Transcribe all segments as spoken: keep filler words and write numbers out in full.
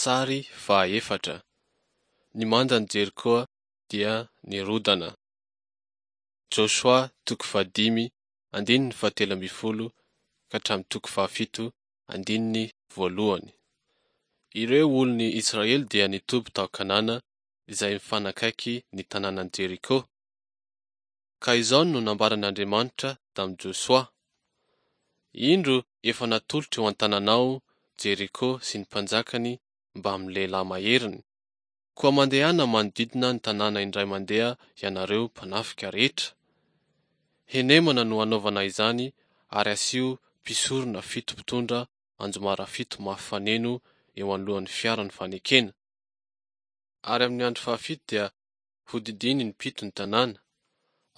Sary fahaefatra. Ny mandan'i Jerikoa dia nirodana. Josoa toko fahadimy andininy fahatelo ambin'ny folo ka hatramin'ny toko fahafito andininy voalohany. Ireo olon'ny Israely dia nitoby tao Kanana izay mifanakaiky ny tanànan'i Jeriko. Ka izao no nambaran'Andriamanitra tamin'i Josoa: Indro efa natolotro eo an-tananao Jeriko sy ny mpanjakany mbamin'ny lehilahy maheriny. Koa mandehana manodidina ny tanàna indray mandeha ianareo mpanafika rehetra. Henemana no hanaovana izany ary asio mpisorona fito mpitondra anjomara fito mafy faneno eo anoloan'ny fiaran'ny fanekena. Ary amin'ny andro fahafito dia hodidino impito ny tanàna,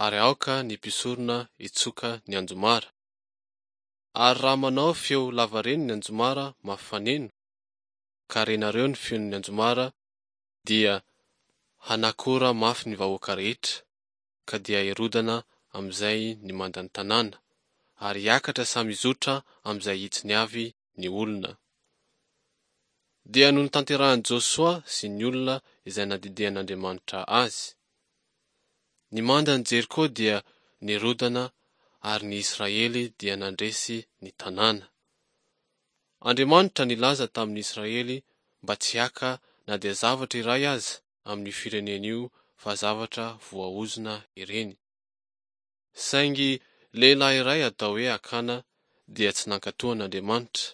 ary aoka ny mpisorona hitsoka ny anjomara. Ary raha manao feo lavareny ny anjomara mafy faneno, ka renareo ny feon'ny anjomara, dia hanakora mafy ny vahoaka rehetra, ka dia hirodana amin'izay ny mandan'ny tanàna, ary hiakatra samy hizotra amin'izay hitsiny avy ny olona. Dia notanterahin'i Josoa sy ny olona izay nandidian'Andriamanitra azy. Ny mandan'i Jeriko dia nirodana ary ny Israely dia nandresy ny tanàna. Andriamanitra nilaza tamin'ny Israely mba tsy haka na dia zavatra iray aza amin'io firenena io fa zavatra voaozona ireny. Saingy lehilahy iray atao hoe Akana dia tsy nankatò an'Andriamanitra.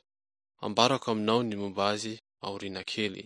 Ambarako aminao ny momba azy aoriana kely.